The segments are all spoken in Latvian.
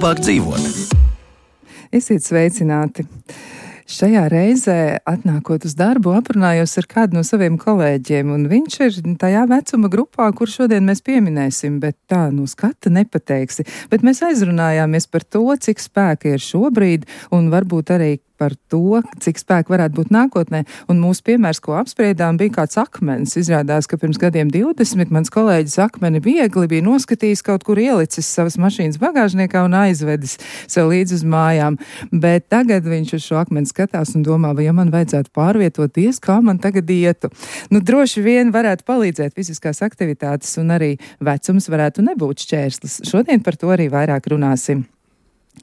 labāk dzīvot. Esiet sveicināti! Šajā reizē, atnākot uz darbu, aprunājos ar kādu no saviem kolēģiem, un viņš ir tajā vecuma grupā, kur šodien mēs pieminēsim, bet tā no skata nepateiksi. Bet mēs aizrunājāmies par to, cik spēka ir šobrīd, un varbūt arī par to, cik spēka varētu būt nākotnē. Un mūsu piemērs, ko apspriedām, bija kāds akmens. Izrādās, ka pirms gadiem 20 mans kolēģis akmeni viegli bija noskatījis kaut kur ielicis savas mašīnas bagāžniekā un aizvedis sev līdz uz mājām. Bet tagad viņš uz šo akmeni skatās un domā, vai ja man vajadzētu pārvietoties, kā man tagad ietu. Droši vien varētu palīdzēt fiziskās aktivitātes un arī vecums varētu nebūt šķērslis. Šodien par to arī vairāk runāsim.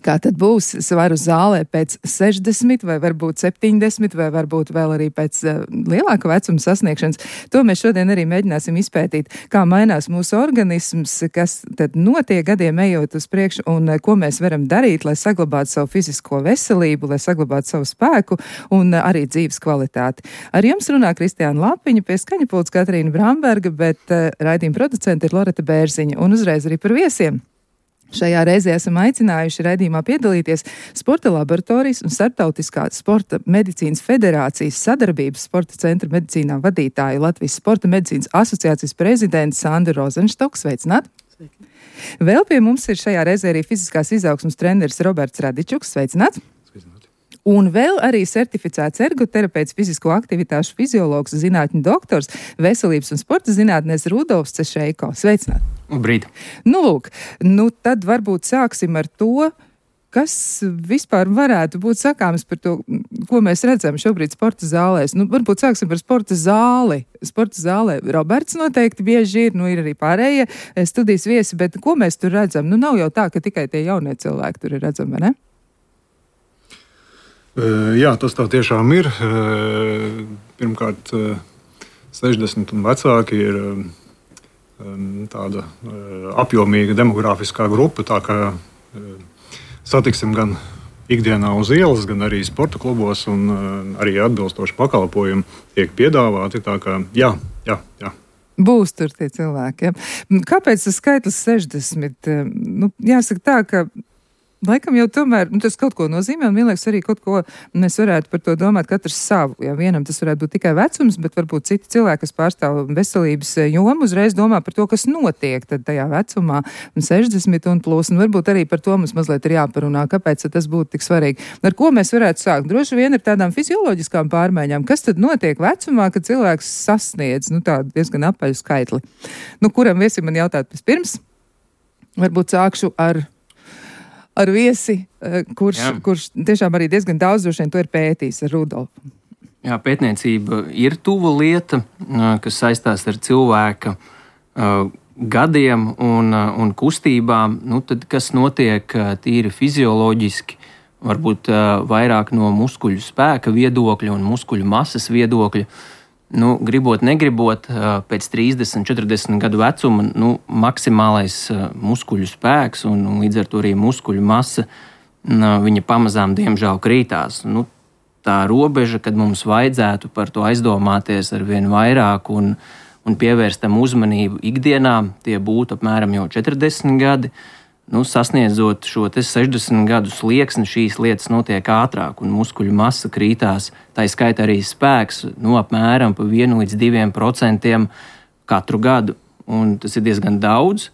Kā tad būs svaru zālē pēc 60 vai varbūt 70 vai varbūt vēl arī pēc lielāka vecuma sasniegšanas? To mēs šodien arī mēģināsim izpētīt, kā mainās mūsu organisms, kas tad notiek gadiem ejot uz priekšu un ko mēs varam darīt, lai saglabātu savu fizisko veselību, lai saglabātu savu spēku un arī dzīves kvalitāti. Ar jums runā Kristiāna Lapiņa, pie skaņapults Katrīna Bramberga, bet raidījuma producente ir Loreta Bērziņa un uzreiz arī par viesiem. Šajā reizē esam aicinājuši raidījumā piedalīties Sporta laboratorijas un Starptautiskā sporta medicīnas federācijas sadarbības sporta centra medicīnā vadītāju Latvijas Sporta medicīnas asociācijas prezidents Sandru Rozenštoku. Sveicināt! Sveiki! Vēl pie mums ir šajā reizē arī fiziskās izaugsmes treneris Roberts Radičuks. Sveicināt! Un vēl arī certificēts ergoterapeits, fizisko aktivitāšu fiziologs, zinātņu doktors, veselības un sporta zinātnēs Rudolfs Cešeiko. Sveicināt! Labrīt! Lūk, tad varbūt sāksim ar to, kas vispār varētu būt sakāms par to, ko mēs redzam šobrīd sporta zālēs. Varbūt sāksim par sporta zāli. Sporta zālē Roberts noteikti bieži ir, ir arī pārējie studijas viesi, bet ko mēs tur redzam? Nav jau tā, ka tikai tie jaunie cilvēki tur ir redzami, vai ne? Jā, tas tā tiešām ir. Pirmkārt, 60 un vecāki ir tāda apjomīga demografiskā grupa, tā kā satiksim gan ikdienā uz ielas, gan arī sporta klubos, un arī atbilstoši pakalpojumi tiek piedāvāti. Tā kā jā. Būs tur tie cilvēki. Ja? Kāpēc tas skaitlis 60? Jāsaka tā, ka laikam jau tomēr tas kaut ko nozīmē, un vienlaikus arī kaut ko mēs varētu par to domāt katrs savu. Ja vienam tas varētu būt tikai vecums, bet varbūt citi cilvēki, kas pārstāv veselības jomu, uzreiz domā par to, kas notiek tad tajā vecumā, 60 un plus, un varbūt arī par to mums mazliet ir jāparunā, kāpēc tas būtu tik svarīgi. Ar ko mēs varētu sākt? Droši vien ir tādām fizioloģiskām pārmaiņām. Kas tad notiek vecumā, kad cilvēks sasniedz tādu diezgan apaļu skaitli? Kuram viesim man jautāt vispirms? Varbūt sākšu ar viesi, kurš tiešām arī diezgan daudz droši vien to ir pētījis ar Rudolfu. Jā, pētniecība ir tuva lieta, kas saistās ar cilvēka gadiem un kustībām. Tad, kas notiek tīri fizioloģiski, varbūt vairāk no muskuļu spēka viedokļa un muskuļu masas viedokļa. Gribot, negribot, pēc 30, 40 gadu vecuma maksimālais muskuļu spēks un līdz ar to arī muskuļu masa, viņa pamazām diemžēl krītās. Tā robeža, kad mums vajadzētu par to aizdomāties ar vien vairāk un pievērst tam uzmanību ikdienā, tie būtu apmēram jau 40 gadi. Sasniedzot šo 60 gadu slieksni, šīs lietas notiek ātrāk, un muskuļu masa krītās, tā skaitā arī spēks, apmēram pa 1 līdz 2% katru gadu. Un tas ir diezgan daudz,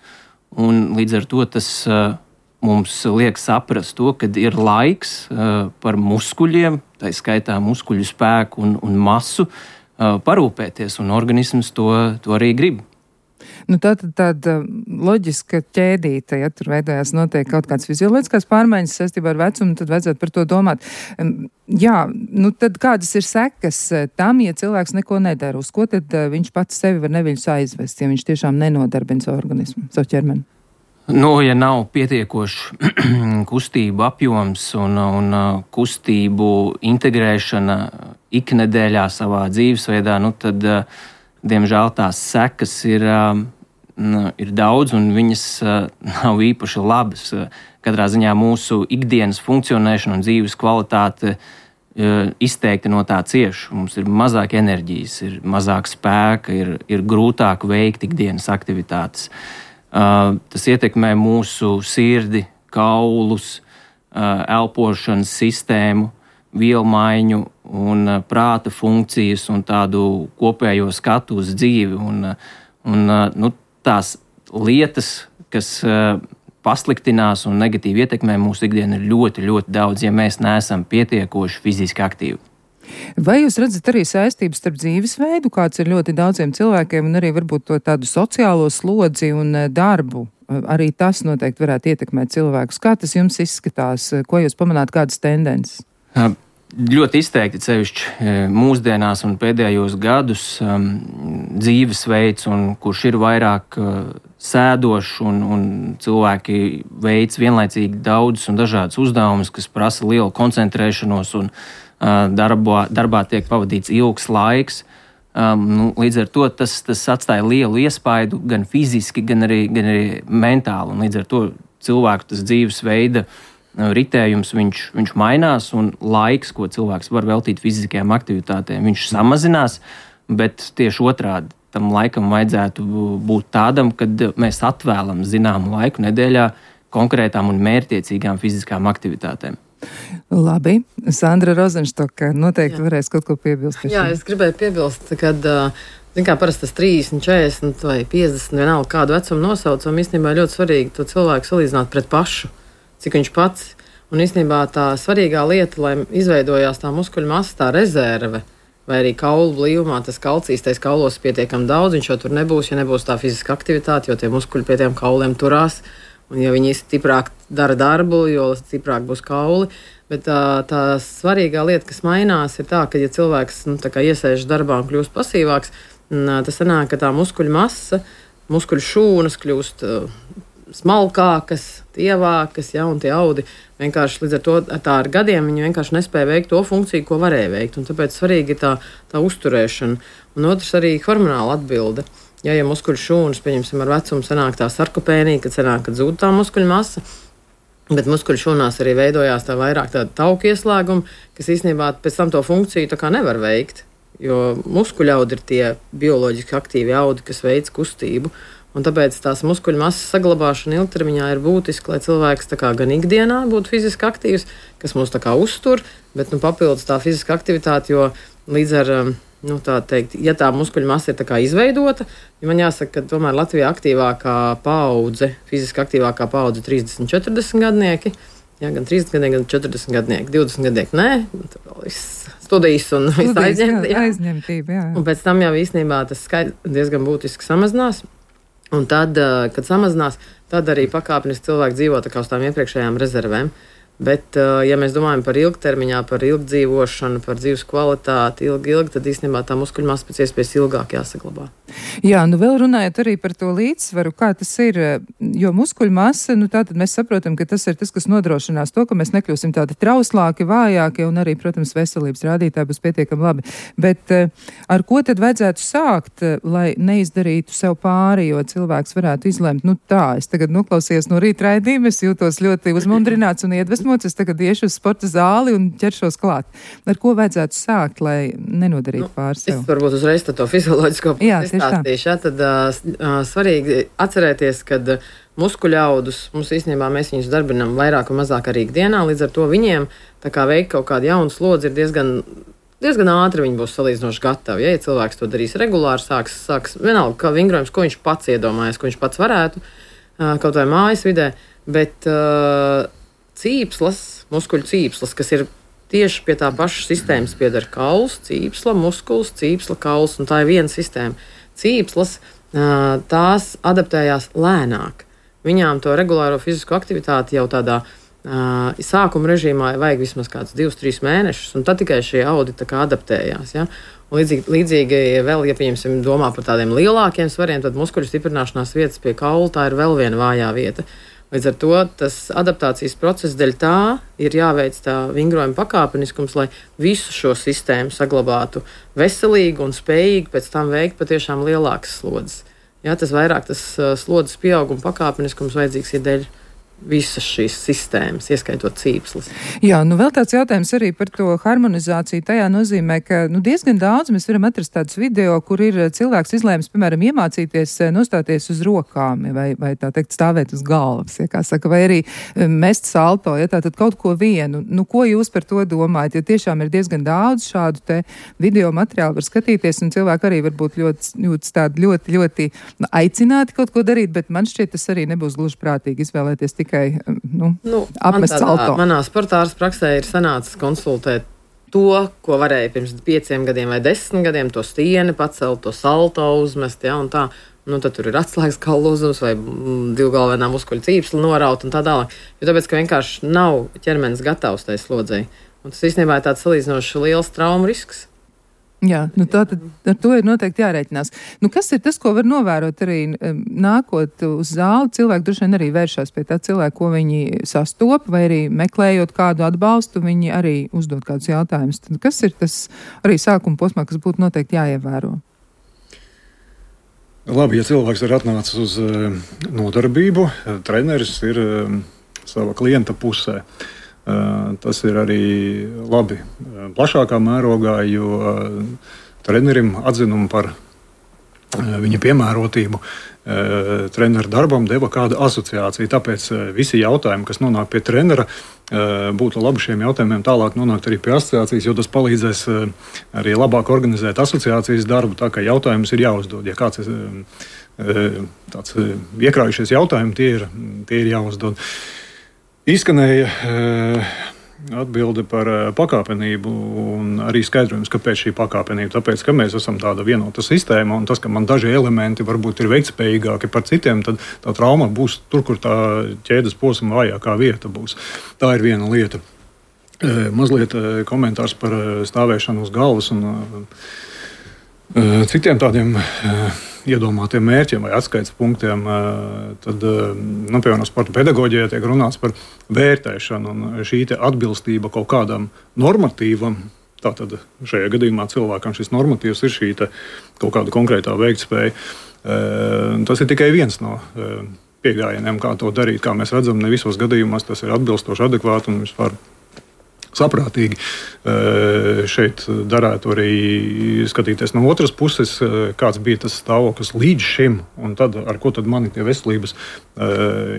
un līdz ar to tas mums liek saprast to, ka ir laiks par muskuļiem, tā skaitā muskuļu spēku un masu, parūpēties, un organisms to arī grib. Tāda loģiska ķēdīte, ja tur veidojās noteikti kaut kādas fizioloģiskās pārmaiņas saistībā ar vecumu, tad vajadzētu par to domāt. Tad kādas ir sekas tam, ja cilvēks neko nedara? Uz ko tad viņš pats sevi var neviļus aizvest, ja viņš tiešām nenodarbina savu organismu, savu ķermeni? Ja nav pietiekoši kustību apjoms un kustību integrēšana iknedēļā savā dzīvesveidā, tad diemžēl tās sekas ir daudz, un viņas nav īpaši labas. Katrā ziņā mūsu ikdienas funkcionēšana un dzīves kvalitāte izteikti no tā cieš. Mums ir mazāk enerģijas, ir mazāk spēka, ir grūtāk veikt ikdienas aktivitātes. Tas ietekmē mūsu sirdi, kaulus, elpošanas sistēmu, vielmaiņu un prāta funkcijas un tādu kopējo skatu uz dzīvi. Un tās lietas, kas pasliktinās un negatīvi ietekmē mūsu ikdienu, ir ļoti, ļoti daudz, ja mēs neesam pietiekoši fiziski aktīvi. Vai jūs redzat arī saistības starp dzīvesveidu, kāds ir ļoti daudziem cilvēkiem, un arī varbūt to tādu sociālo slodzi un darbu? Arī tas noteikti varētu ietekmēt cilvēkus. Kā tas jums izskatās? Ko jūs pamanāt, kādas tendences? Ļoti izteikti, sevišķi mūsdienās un pēdējos gadus dzīvesveids, kurš ir vairāk sēdošs un cilvēki veic vienlaicīgi daudzus un dažādus uzdevumus, kas prasa lielu koncentrēšanos un darbā tiek pavadīts ilgs laiks. Līdz ar to tas atstāja lielu iespaidu gan fiziski, gan arī mentāli. Un līdz ar to cilvēku tas dzīvesveida ritējums viņš mainās, un laiks, ko cilvēks var veltīt fiziskajām aktivitātēm, viņš samazinās, bet tieši otrādi tam laikam vajadzētu būt tādam, kad mēs atvēlam zināmu laiku nedēļā konkrētām un mērķtiecīgām fiziskām aktivitātēm. Labi, Sandra Rozenštoka noteikti varēs kaut ko piebilst. Jā, es gribēju piebilst, kad parasti tas 30, 40 vai 50, vienalga kādu vecumu nosaucam, īstenībā ļoti svarīgi to cilvēku salīdzināt pret pašu, cik viņš pats. Un īstenībā tā svarīgā lieta, lai izveidojās tā muskuļu masa, tā rezerve, vai arī kaulu blīvumā, tas kalcijs, tais kaulos pietiekami daudz, viņš jau tur nebūs, ja nebūs tā fiziska aktivitāte, jo tie muskuļi pie tiem kauliem turās. Un ja viņi stiprāk dara darbu, jo stiprāk būs kauli. Bet tā svarīgā lieta, kas mainās, ir tā, ka, ja cilvēks iesēžas darbā un kļūst pasīvāks, tas sanāk, ka tā muskuļu masa, muskuļu šūnas kļūst smalkākas, tievākas, ja, un tie audi vienkārši līdz ar to ar gadiem viņi vienkārši nespēja veikt to funkciju, ko varēja veikt. Un tāpēc svarīgi ir tā uzturēšana. Un otrs arī hormonāla atbilde. Ja muskuļu šūnas, pieņemsim, ar vecumu sanāk tā sarkopēnija, kad zūd tā muskuļu masa, bet muskuļu šūnās arī veidojās tā vairāk tāda tauku ieslēguma, kas īstenībā pēc tam to funkciju tā kā nevar veikt, jo muskuļu audi ir tie bioloģiski aktīvi audi, kas veic kustību, un tāpēc tās muskuļu masas saglabāšana ilgtermiņā ir būtiska, lai cilvēks tā kā gan ikdienā būtu fiziski aktīvs, kas mūs tā kā uztur, bet papildus tā fiziska aktivitāte, jo līdz ar tā teikt, ja tā muskuļu masa ir tā kā izveidota, ja man jāsaka, ka tomēr Latvijā aktīvākā paudze, fiziski aktīvākā paudze 30-40 gadnieki, jā, gan 30 gadnieki, gan 40 gadnieki, 20 gadnieki, nē, tā vēl viss studijas un viss aizņemtība, jā. Un pēc tam jau īstenībā tas skaits diezgan būtiski samazinās, un tad, kad samazinās, tad arī pakāpeniski cilvēki dzīvo tā kā uz tām iepriekšējām rezervēm. Bet, ja mēs domājam par ilgtermiņā, par ilgdzīvošanu, par dzīves kvalitāti, ilgi, tad īstenībā tā muskuļu masa pēc iespējas ilgāk jāsaglabā. Jā, vēl runājot arī par to līdzsvaru, kā tas ir, jo muskuļu masa, tātad mēs saprotam, ka tas ir tas, kas nodrošinās to, ka mēs nekļūsim tādi trauslāki, vājāki, un arī, protams, veselības rādītāji būs pietiekami labi. Bet ar ko tad vajadzētu sākt, lai neizdarītu sev pāri, jo cilvēks varētu izlemt, es tagad noklausījos no rīta raidījuma, es jūtos ļoti uzmundrināts un iedvesmots, es tagad iešu uz sporta zāli un ķeršos klāt. Ar ko vajadzētu sākt, lai nenodarītu pāri sev? Es varbūt uzreiz to fizioloģisko izstāstīšu. Tad svarīgi atcerēties, ka muskuļu audus, mums īstenībā mēs viņus darbinām vairāk un mazāk arī ikdienā, līdz ar to viņiem tā kā veikt kaut kādu jaunu slodzi ir diezgan ātri viņi būs salīdzinoši gatavi. Ja cilvēks to darīs regulāri, sāks vienalga, kā vingrojums, ko viņš pats iedomājas, ko viņš pats varētu, kaut vai mājas vidē, bet cīpslas, muskuļu cīpslas, kas ir tieši pie tā paša sistēmas pieder kauls, cīpsla, muskuls, cīpsla, kauls, un tā ir viena sistēma. Cīpslas, tās adaptējās lēnāk. Viņām to regulāro fizisko aktivitāti jau tādā sākuma režīmā vajag vismaz kāds 2-3 mēnešus, un tad tikai šie audi tā kā adaptējās. Ja? Un līdzīgi vēl, ja pieņemsim domā par tādiem lielākiem svariem, tad muskuļu stiprināšanās vietas pie kaula, tā ir vēl viena vājā vieta. Līdz ar to tas adaptācijas process dēļ tā ir jāveic tā vingrojuma pakāpeniskums, lai visu šo sistēmu saglabātu veselīgu un spējīgu pēc tam veikt patiešām lielākas slodzes. Jā, tas vairāk tas slodzes pieauguma pakāpeniskums vajadzīgs ir dēļ visas šīs sistēmas, ieskaitot cīpslis. Jā, vēl tāds jautājums arī par to harmonizāciju. Tajā nozīmē, ka diezgan daudz mēs varam atrast tādus video, kur ir cilvēks izlēmis, piemēram, iemācīties nostāties uz rokām vai tā teikt stāvēt uz galvas, ja kā saka, vai arī mest salto, ja tātad kaut ko vienu. Ko jūs par to domājat? Jo tiešām ir diezgan daudz šādu te video materiālu var skatīties, un cilvēki arī varbūt ļoti aicināti kaut ko darīt, bet man šķiet, tas arī nebūs gluži prātīgi izvēlēties tikai apmest salto. Manā sportārs praksē ir sanācis konsultēt to, ko varēja pirms 5 gadiem vai 10 gadiem, to stieni pacelt, to salto uzmest, ja, un tā. Tad tur ir atslēgas kaulu uzums vai divgalvenā muskuļu cīpsli noraut un tā tālāk. Jo tāpēc, ka vienkārši nav ķermenis gatavs tai slodzei. Un tas īstenībā ir tāds salīdzinoši liels traumu risks. Jā, tātad ar to ir noteikti jārēķinās. Kas ir tas, ko var novērot arī nākot uz zāli? Cilvēki droši vien arī vēršās pie tā cilvēka, ko viņi sastop, vai arī meklējot kādu atbalstu, viņi arī uzdod kādus jautājumus. Tad kas ir tas arī sākuma posmā, kas būtu noteikti jāievēro? Labi, ja cilvēks ir atnācis uz nodarbību, treneris ir sava klienta pusē. Tas ir arī labi plašākā mērogā, jo trenerim atzinumu par viņa piemērotību treneru darbam deva kāda asociācija. Tāpēc visi jautājumi, kas nonāk pie trenera, būtu labi šiem jautājumiem tālāk nonākt arī pie asociācijas, jo tas palīdzēs arī labāk organizēt asociācijas darbu, tā kā jautājums ir jāuzdod. Ja kāds ir tāds iekrājušies jautājumi, tie ir jāuzdod. Izskanēja atbilde par pakāpenību un arī skaidrojums, kāpēc šī pakāpenība. Tāpēc, ka mēs esam tāda vienota sistēma un tas, ka man daži elementi varbūt ir veiktspējīgāki par citiem, tad tā trauma būs tur, kur tā ķēdes posma vājākā vieta būs. Tā ir viena lieta. Mazliet komentārs par stāvēšanu uz galvas un citiem tādiem iedomātiem mērķiem vai atskaites punktiem, tad, piemēram, sporta pedagoģijā tiek runāts par vērtēšanu, un šī atbilstība kaut kādam normatīvam, tātad šajā gadījumā cilvēkam šis normatīvs ir šī kaut kāda konkrētā veiktspēja. Tas ir tikai viens no pieejamiem, kā to darīt. Kā mēs redzam, ne visos gadījumos tas ir atbilstoši, adekvāti un vispār saprātīgi. Šeit darētu arī skatīties no otras puses, kāds bija tas stāvoklis līdz šim, un tad, ar ko tad mani tie veselības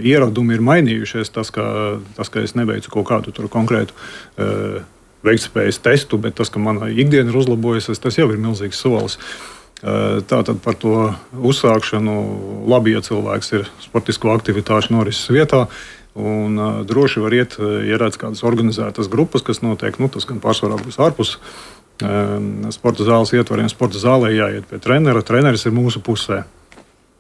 ieradumi ir mainījušies. Tas, ka es neveicu kaut kādu konkrētu veiktspējas testu, bet tas, ka mana ikdiena ir uzlabojusies, tas jau ir milzīgs solis. Tātad par to uzsākšanu labi, ja cilvēks ir sportisko aktivitāšu norises vietā. Un droši var iet, ja redz kādas organizētas grupas, kas notiek, tas gan pārsvarā būs ārpus sporta zāles ietvariem. Sporta zālē jāiet pie trenera. Treneris ir mūsu pusē.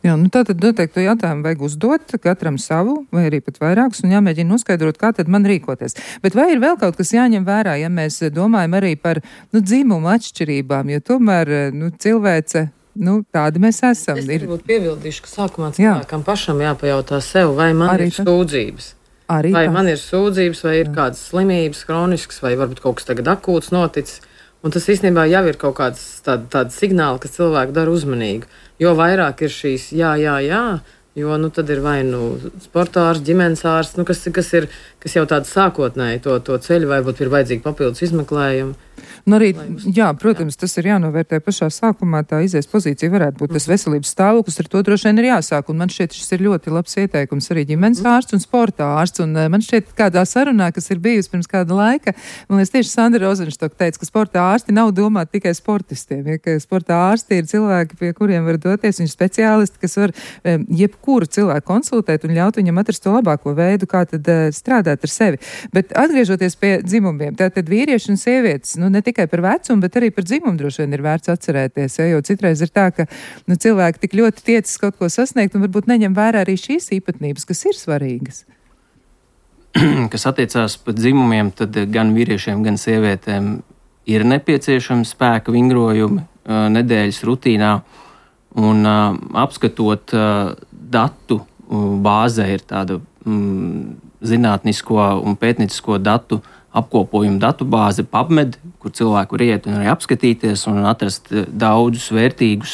Jā, tātad noteikti jautājumu vajag uzdot katram savu, vai arī pat vairākus, un jāmēģina noskaidrot, kā tad man rīkoties. Bet vai ir vēl kaut kas jāņem vērā, ja mēs domājam arī par dzimumu atšķirībām, jo tomēr cilvēce. Tādi mēs esam. Es varbūt piebildīšu, ka sākumā cilvēkam pašam jāpajautā sev, vai man arī ir sūdzības. Vai man ir sūdzības, vai ir kādas slimības, kroniskas, vai varbūt kaut kas tagad akūts noticis. Un tas īstenībā jau ir kaut kāds tādi signāli, kas cilvēku dara uzmanīgu. Jo vairāk ir šīs jā, jo tad ir vai sportārs, ģimenes ārsts, kas jau tāds sākotnēji to ceļu, varbūt ir vajadzīgi papildus izmeklējumi. Arī, jā, protams, tas ir jānovērtē pašā sākumā, tā izies pozīcija varētu būt tas veselības stāvoklis, ar to droši vien ir jāsāk, un man šķiet, šis ir ļoti labs ieteikums arī ģimenes ārsts un sporta ārsts, un man šķiet kādā sarunā, kas ir bijusi pirms kāda laika, man liekas tieši Sandra Rozenštok teica, ka sporta ārsti nav domāti tikai sportistiem, ja, ka sporta ārsti ir cilvēki, pie kuriem var doties, viņi speciālisti, kas var jebkuru cilvēku konsultēt un ļaut viņam atrast to labāko veidu, kā tad strādāt ar sevi. Bet atgriežoties pie dzimumiem, tātad vīrieši un sievietes, ne tikai par vecumu, bet arī par dzimumu droši vien ir vērts atcerēties, jo citreiz ir tā, ka cilvēki tik ļoti tiecas kaut ko sasniegt un varbūt neņem vērā arī šīs īpatnības, kas ir svarīgas. Kas attiecās par dzimumiem, tad gan vīriešiem, gan sievietēm ir nepieciešami spēka vingrojumi nedēļas rutīnā, un apskatot datu bāzē ir tāda zinātnisko un pētniecisko datu apkopojumu datubāzi PubMed, kur cilvēku var iet un arī apskatīties un atrast daudzus vērtīgus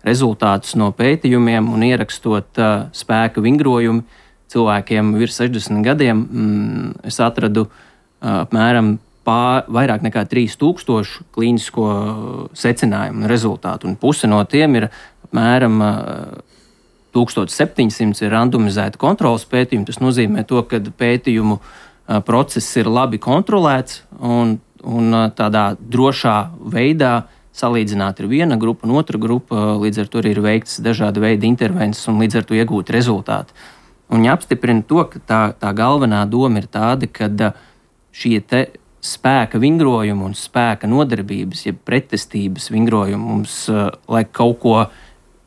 rezultātus no pētījumiem un ierakstot spēka vingrojumi, cilvēkiem virs 60 gadiem, es atradu apmēram vairāk nekā 3000 klīnisko secinājumu un rezultātu, un puse no tiem ir apmēram 1700 ir randomizēta kontrolas pētījumi. Tas nozīmē to, ka pētījumu process ir labi kontrolēts un tādā drošā veidā salīdzināt ir viena grupa un otra grupa, līdz ar to ir veikts dažādi veidi intervences un līdz ar to iegūt rezultāti. Un jāapstiprina to, ka tā galvenā doma ir tāda, ka šie te spēka vingrojumi un spēka nodarbības, jeb pretestības vingrojumi mums, lai kaut ko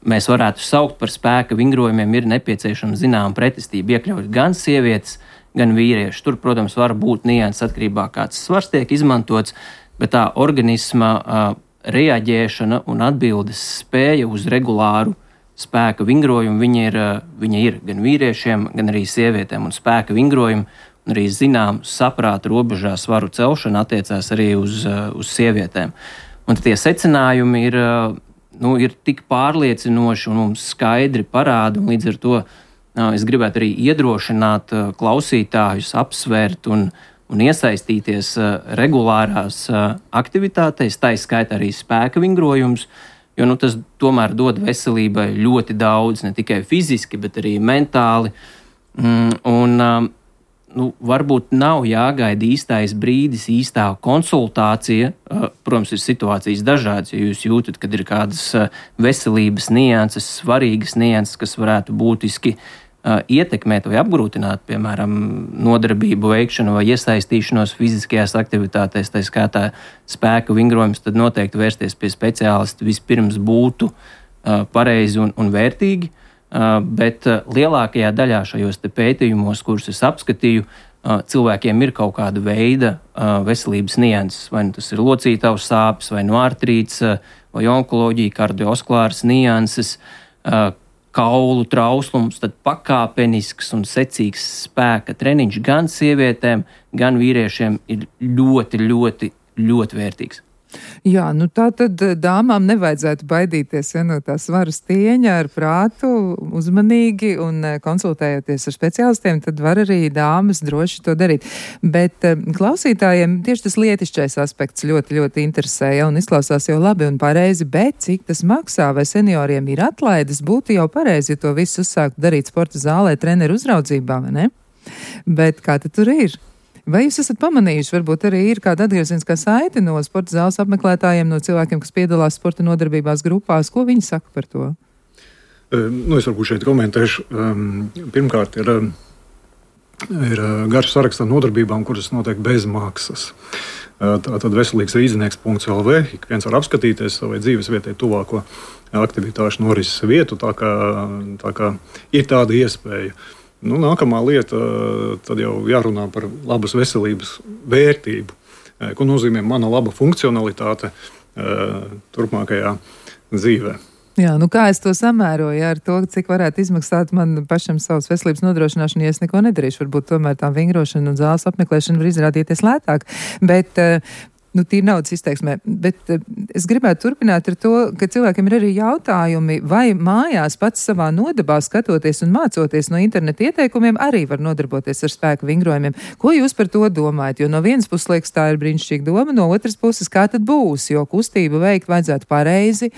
mēs varētu saukt par spēka vingrojumiem, ir nepieciešama zināma pretestība, iekļaut gan sievietes, gan vīrieši. Tur, protams, var būt nianses atkarībā, kāds svars tiek izmantots, bet tā organisma reaģēšana un atbildes spēja uz regulāru spēka vingrojumu, viņa ir gan vīriešiem, gan arī sievietēm, un spēka vingrojumi un arī zinām saprāta robežā svaru celšana attiecās arī uz sievietēm. Un tie secinājumi ir tik pārliecinoši un mums skaidri parāda, un līdz ar to es gribētu arī iedrošināt klausītājus apsvērt un iesaistīties regulārās aktivitātēs, tā izskaitā arī spēka vingrojums, jo tas tomēr dod veselībai ļoti daudz, ne tikai fiziski, bet arī mentāli. Varbūt nav jāgaida īstais brīdis, īstā konsultācija. Protams, ir situācijas dažādas, ja jūs jūtat, kad ir kādas veselības nianses, svarīgas nianses, kas varētu būtiski ietekmēt vai apgrūtināt, piemēram, nodarbību veikšanu vai iesaistīšanos fiziskajās aktivitātēs, tā skaitā spēka vingrojums, tad noteikti vērsties pie speciālista vispirms būtu pareizi un vērtīgi, bet lielākajā daļā šajos te pētījumos, kurus es apskatīju, cilvēkiem ir kaut kāda veida veselības nianses, vai tas ir locītavas sāpes, vai artrīts, vai onkoloģija, kardiovaskulāras nianses, kaulu trauslums, tad pakāpenisks un secīgs spēka treniņš gan sievietēm, gan vīriešiem ir ļoti, ļoti, ļoti vērtīgs. Jā, tā tad dāmām nevajadzētu baidīties no tā svara stieņa, ar prātu, uzmanīgi un konsultējoties ar speciālistiem, tad var arī dāmas droši to darīt. Bet klausītājiem tieši tas lietišķais aspekts ļoti, ļoti interesēja un izklausās jau labi un pareizi, bet cik tas maksā, vai senioriem ir atlaides, būtu jau pareizi, ja to visu uzsāktu darīt sporta zālē, treneru uzraudzībā, vai ne? Bet kā tad tur ir? Vai jūs esat pamanījuši, varbūt arī ir kāda atgriezeniskā saite no sporta zāles apmeklētājiem, no cilvēkiem, kas piedalās sporta nodarbībās grupās? Ko viņi saka par to? Es varbūt šeit komentēšu. Pirmkārt, ir garš saraksts ar nodarbībām, kuras notiek bez maksas. Tātad veselīgs rīznieks.lv, ik viens var apskatīties savai dzīves vietai tuvāko aktivitāšu norises vietu, tā kā ir tāda iespēja. Nākamā lieta, tad jau jārunā par labas veselības vērtību, ko nozīmē mana laba funkcionalitāte turpmākajā dzīvē. Jā, kā es to samēroju ar to, cik varētu izmaksāt man pašam savas veselības nodrošināšanu, ja es neko nedarīšu. Varbūt tomēr tā vingrošana un zāles apmeklēšana var izrādīties lētāk, bet tīri naudas izteiksmē. Bet es gribētu turpināt ar to, ka cilvēkiem ir arī jautājumi, vai mājās pats savā nodabā skatoties un mācoties no interneta ieteikumiem arī var nodarboties ar spēku vingrojumiem. Ko jūs par to domājat? Jo no vienas puses liekas, tā ir brīnišķīga doma, no otras puses, kā tad būs? Jo kustību veikt vajadzētu pareizi,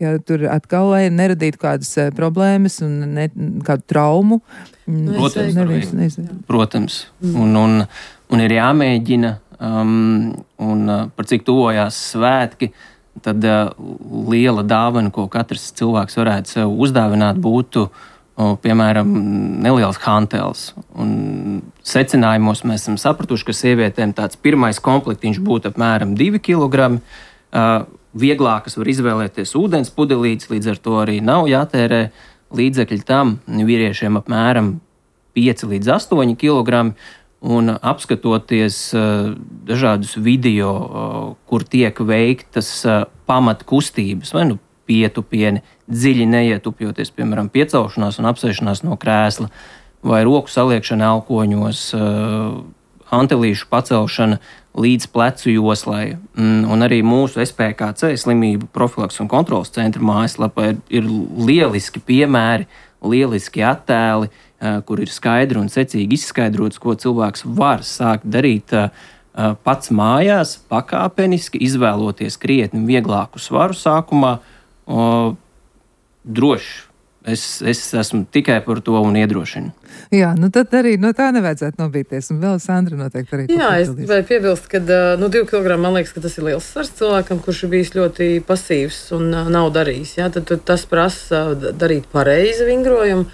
ja tur atkal, lai neradītu kādas problēmas un kādu traumu. Protams. Un ir jāmēģina. Par cik tuvojās svētki, tad liela dāvana, ko katrs cilvēks varētu sev uzdāvināt, būtu, piemēram, neliels hantels. Un secinājumos mēs esam sapratuši, ka sievietēm tāds pirmais komplektiņš būtu apmēram 2 kg. Vieglākas var izvēlēties ūdens pudelītes, līdz ar to arī nav jātērē līdzekļi tam. Vīriešiem apmēram 5 līdz 8 kg. Un apskatoties dažādus video, kur tiek veiktas pamatkustības, vai pietupieni, dziļi neietupjoties, piemēram, piecelšanās un apsēšanās no krēsla, vai roku saliekšana elkoņos, hantelīšu pacelšana līdz plecu joslai. Un arī mūsu SPKC slimību profilaks un kontrolas centra mājaslapā ir lieliski piemēri, lieliski attēli, kur ir skaidri un secīgi izskaidrots, ko cilvēks var sākt darīt pats mājās, pakāpeniski, izvēloties krietni vieglāku svaru sākumā, droši. Es esmu tikai par to un iedrošinu. Jā, nu tad arī no tā nevajadzētu nobīties. Un vēl Sandra noteikti arī. Jā, es gribēju piebilst, ka 2 kg man liekas, ka tas ir liels svars cilvēkam, kurš ir bijis ļoti pasīvs un nav darījis. Jā, tad tas prasa darīt pareizi vingrojumu,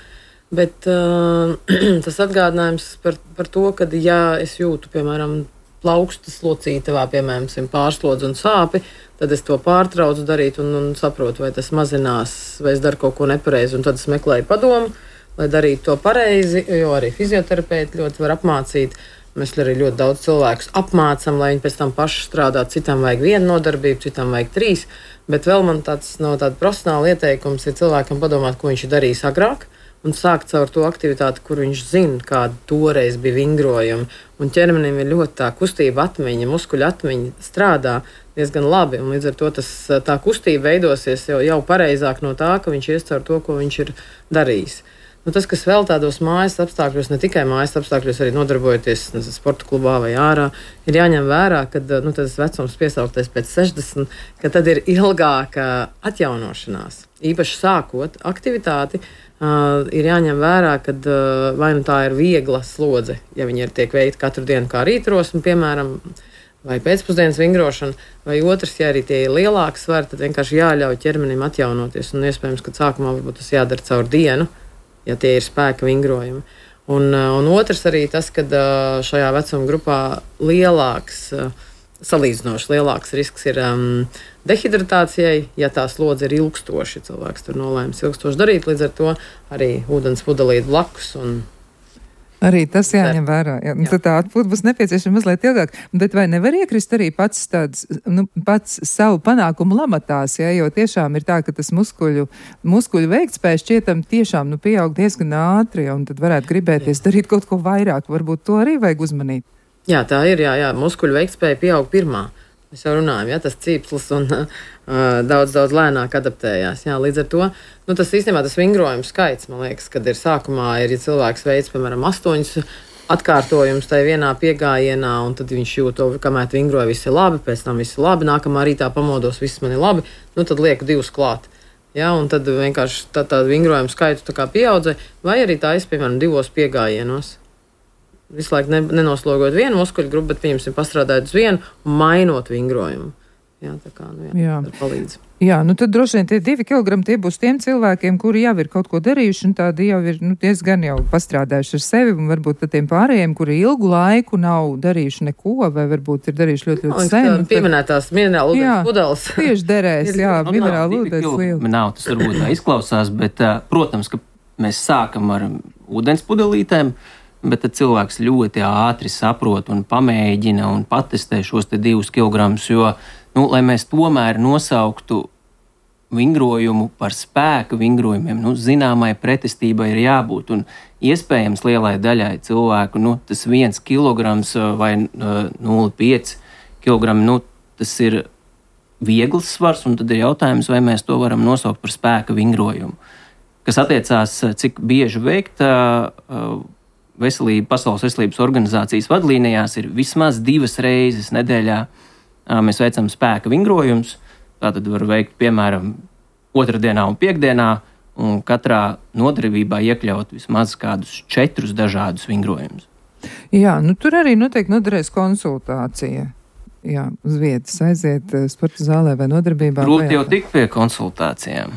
bet tas atgādinājums par to, ka ja es jūtu, piemēram, plaukstas locītavā, piemēram, pārslodzi un sāpi, tad es to pārtraucu darīt un saprotu, vai tas mazinās, vai es daru kaut ko nepareizi, un tad es meklēju padomu, lai darītu to pareizi, jo arī fizioterapeiti ļoti var apmācīt. Mēs arī ļoti daudz cilvēkus apmācam, lai viņi pēc tam paši strādā. Citam vajag 1 nodarbību, citam vajag 3, bet vēl man tāda profesionāla ieteikums ir cilvēkam padomāt, ko viņš ir darījis agrāk, un sākt caur to aktivitāti, kur viņš zina, kāda toreiz bija vingrojuma. Un ķermenim ir ļoti tā kustība atmiņa, muskuļu atmiņa strādā diezgan labi, un līdz ar to tā kustība veidosies jau pareizāk no tā, ka viņš ies caur to, ko viņš ir darījis. Nu, tas, kas vēl tādos mājas apstākļos, ne tikai mājas apstākļos, arī nodarbojoties sporta klubā vai ārā, ir jāņem vērā, ka tas vecums piesauktais pēc 60, ka tad ir ilgāka atjaunošanās. Īpaši sākot aktivitāti, ir jāņem vērā, ka vai nu tā ir viegla slodze, ja viņi tiek veikta katru dienu kā rītrosme, piemēram, vai pēcpusdienas vingrošana, vai otrs, ja arī tie ir lielāki svari, tad vienkārši jāļauj ķermenim atjaunoties. Un iespējams, ka sākumā varbūt tas jādara caur dienu, ja tie ir spēka vingrojumi. Un otrs arī tas, ka šajā vecuma grupā salīdzinoši lielāks risks ir dehidratācijai, ja tā slodze ir ilgstoši. Cilvēks tur nolēmis ilgstoši darīt, līdz ar to arī ūdens pudelīt blakus. Arī tas jāņem vērā. Jā. Tad tā atpūta būs nepieciešama mazliet ilgāk. Bet vai nevar iekrist arī pats savu panākumu lamatās, ja? Jo tiešām ir tā, ka tas muskuļu veiktspējas šķietam tiešām pieaug diezgan ātri, un tad varētu gribēties darīt kaut ko vairāk. Varbūt to arī vajag uzmanīt. Jā, tā ir, jā. Muskuļu veiktspēja pieaug pirmā. Mēs jau runājam, ja tas cīpslis un daudz lēnāk adaptējās. Jā, līdz ar to tas īstenībā tas vingrojums skaits, man liekas, kad ir sākumā, ja cilvēks veids, piemēram, 8 atkārtojumus tajā vienā piegājienā, un tad viņš jūt to, kamēr vingroja, viss ir labi, pēc tam viss ir labi, nākamā rītā pamodos, viss man ir labi, tad lieku 2 klāt. Ja, un tad vienkārši tā vingrojuma skaitu tā kā pieaudzē, vai arī tā es, piemēram, 2 piegājienos. Visu laiku nenoslogojot vienu muskuļu grupu, bet pieņemsim pastrādājot uz vienu un mainot vingrojumu. Jā, tā kā, tā palīdz. Jā, tad droši vien tie 2 kilogrami tie būs tiem cilvēkiem, kuri jau ir kaut ko darījuši, un tādi jau ir diezgan jau pastrādājuši ar sevi, un varbūt tiem pārējiem, kuri ilgu laiku nav darījuši neko, vai varbūt ir darījuši ļoti sen. Pieminētās minerālu ūdens pudeles. Tieši derēs, jā, minerālu ūdens liela. Nav, tas varbūt tā izklausās, bet, protams, ka mēs sākam ar ūdens pudelītēm, bet tad cilvēks ļoti ātri saprot un pamēģina un patestē šos 2 kilogramus, jo, lai mēs tomēr nosauktu vingrojumu par spēka vingrojumiem, zināmai pretestībai ir jābūt, un iespējams lielai daļai cilvēku, tas 1 kilograms vai 0,5 kilogrami, tas ir viegls svars, un tad ir jautājums, vai mēs to varam nosaukt par spēka vingrojumu. Kas attiecās, cik bieži veikt Pasaules veselības organizācijas vadlīnijās ir vismaz 2 reizes nedēļā mēs veicam spēka vingrojumus. Tātad var veikt, piemēram, otrdienā un piekdienā, un katrā nodarbībā iekļaut vismaz kādus 4 dažādus vingrojumus. Jā, tur arī noteikti noderēs konsultācija. Jā, uz vietas aiziet sporta zālē vai nodarbībā. Grūti jau tikt pie konsultācijām.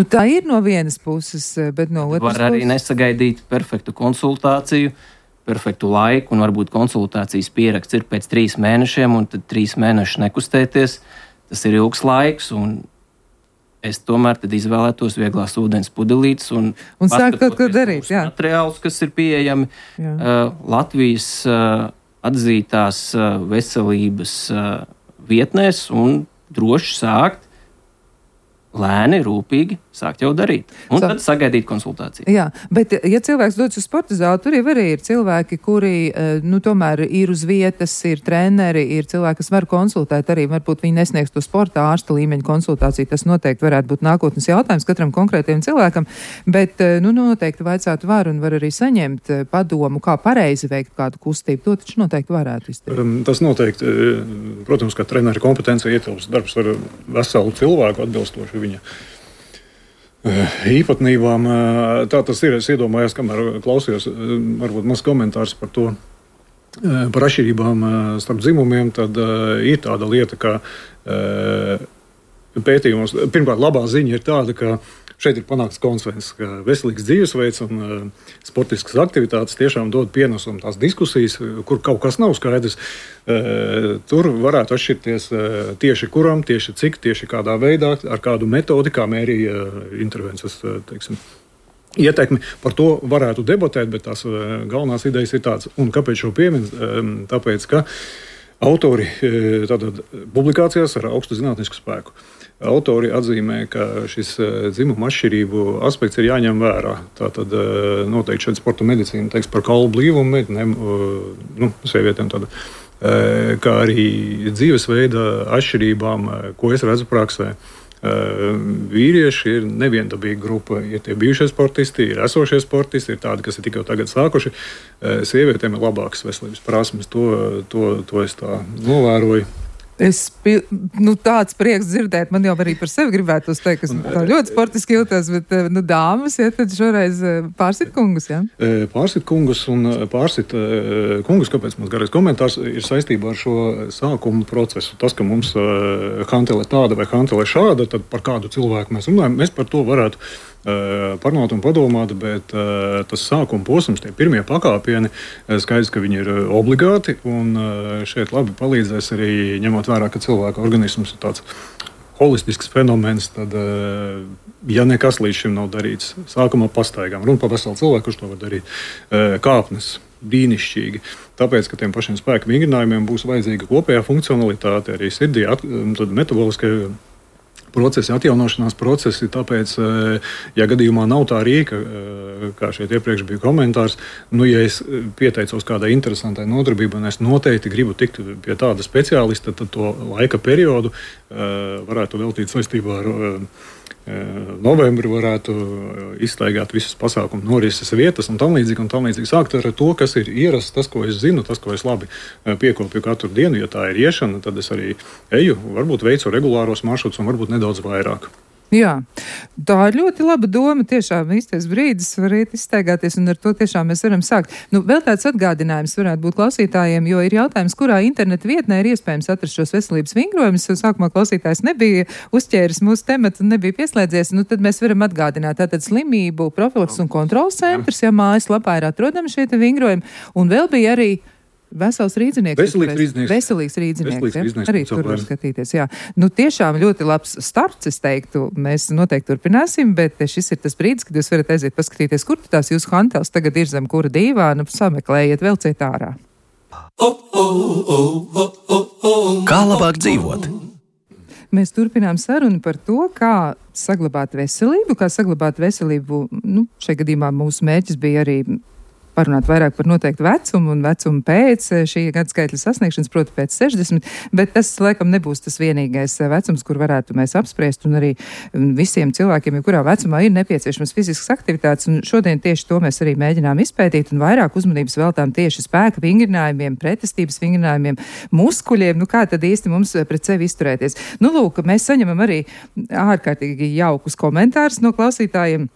Tā ir no vienas puses, bet no otras puses. Var arī nesagaidīt perfektu konsultāciju, perfektu laiku, un varbūt konsultācijas pieraksts ir pēc 3 mēnešiem, un tad 3 mēnešus nekustēties. Tas ir ilgs laiks, un es tomēr tad izvēlētos vieglās ūdens pudelītes un sākt kaut ko darīt. Jā. Materiālus, kas ir pieejami Latvijas atzītās veselības vietnēs, un droši sākt, lēni, rūpīgi sākt jau darīt. Un tad sagaidīt konsultāciju. Jā, bet ja cilvēks dodas uz sporta zāli, tur jau arī ir cilvēki, kuri, tomēr ir uz vietas, ir treneri, ir cilvēki, kas var konsultēt arī, varbūt viņi nesniegs to sporta ārsta līmeņa konsultāciju. Tas noteikti varētu būt nākotnes jautājums katram konkrētiem cilvēkam, bet, noteikti vaicātu var un var arī saņemt padomu, kā pareizi veikt kādu kustību. To taču noteikti varētu izdarīt. Tas noteikti, protams, ka treneri kompetencija ietilpst darbs ar veselu cilvēku atbilstoši viņa īpatnībām. Tā tas ir. Es iedomājos, kamēr klausījos, varbūt maz komentārs par to, par atšķirībām starp dzimumiem, tad ir tāda lieta, ka pētījumos, pirmkārt, labā ziņa ir tāda, ka šeit ir panākts konsensus, ka veselīgs dzīvesveids un sportiskas aktivitātes tiešām dod pienesumu tās diskusijas, kur kaut kas nav skaidrs. Tur varētu atšķirties tieši kuram, tieši cik, tieši kādā veidā, ar kādu metodi, kā mērīja intervences, ietekmi. Par to varētu debatēt, bet tās galvenās idejas ir tādas. Un kāpēc šo piemin? Tāpēc, ka autori tātad publikācijās ar augstu zinātnisku spēku. Autori atzīmē, ka šis dzimuma atšķirību aspekts ir jāņem vērā. Tātad noteikti šeit sporta medicīna teiks par kaulu blīvumu meitenēm, sievietēm tāda, kā arī dzīvesveida atšķirībām, ko es redzu praksē. Vīrieši ir neviendabīga grupa. Ir tie bijušie sportisti, ir esošie sportisti, ir tādi, kas ir tikai tagad sākuši. Sievietēm ir labākas veselības prasmes. To es tā novēroju. Tāds prieks dzirdēt, man jau arī par sevi gribētu teikt, ka tā ļoti sportiski jūtas, bet dāmas, ja tad šoreiz pārsit kungus, jā? Pārsit kungus un pārsit kungus, kāpēc mums garais komentārs ir saistībā ar šo sākumu procesu. Tas, ka mums hantele tāda vai hantele šāda, tad par kādu cilvēku mēs runājam, mēs par to varētu parunāt un padomāt, bet tas sākuma posms, tie pirmie pakāpieni, skaidrs, ka viņi ir obligāti, un šeit labi palīdzēs arī ņemot vērā, ka cilvēka organisms ir tāds holistisks fenomens, tad, ja nekas līdz šim nav darīts, sākumā pastaigām, runa par veselu cilvēku, kurš to var darīt, kāpnes, brīnišķīgi, tāpēc, ka tiem pašiem spēka vingrinājumiem būs vajadzīga kopējā funkcionalitāte, arī sirdī, tad metaboliskai procesi, atjaunošanās procesi, tāpēc, ja gadījumā nav tā rīka, kā šeit iepriekš bija komentārs, ja es pieteicos kādai interesantai nodarbībai, un es noteikti gribu tikt pie tāda speciālista, tad to laika periodu varētu veltīt saistībā ar novembri, varētu izstaigāt visas pasākumu norises vietas un tam līdzīgi sākt ar to, kas ir ierasts, tas, ko es zinu, tas, ko es labi piekopju katru dienu. Ja tā ir iešana, tad es arī eju, varbūt veicu regulāros maršrutus un varbūt nedaudz vairāk. Jā, tā ir ļoti laba doma, tiešām īstais brīdis var iet izstaigāties, un ar to tiešām mēs varam sākt. Vēl tāds atgādinājums varētu būt klausītājiem, jo ir jautājums, kurā interneta vietnē ir iespējams atrast šos veselības vingrojumus, jo sākumā klausītājs nebija uzķēris mūsu tematu un nebija pieslēdzies, tad mēs varam atgādināt. Tātad slimību profilaks un kontrols centrs, ja mājaslapā ir atrodami šie te vingrojumi, un vēl bija arī vesels rīdzinieks. Veselīgs rīdzinieks. Arī tur var skatīties, jā. Tiešām ļoti labs starts, es teiktu. Mēs noteikti turpināsim, bet šis ir tas brīdis, kad jūs varat aiziet paskatīties, kur tās jūsu hanteles tagad ir zem kura dīvāna, sameklējiet, velciet ārā. Kā labāk dzīvot? Mēs turpinām sarunu par to, kā saglabāt veselību. Šajā gadījumā mūsu mērķis bija arī parunāt vairāk par noteiktu vecumu un vecumu pēc šī gadskaitļa sasniegšanas, proti pēc 60, bet tas, laikam, nebūs tas vienīgais vecums, kur varētu mēs apspriest, un arī visiem cilvēkiem, kurā vecumā ir nepieciešamas fiziskas aktivitātes, un šodien tieši to mēs arī mēģinām izpētīt, un vairāk uzmanības veltām tieši spēka vingrinājumiem, pretestības vingrinājumiem, muskuļiem, kā tad īsti mums pret sevi izturēties. Lūk, mēs saņemam arī ārkārtīgi jaukus komentārus no klausītājiem.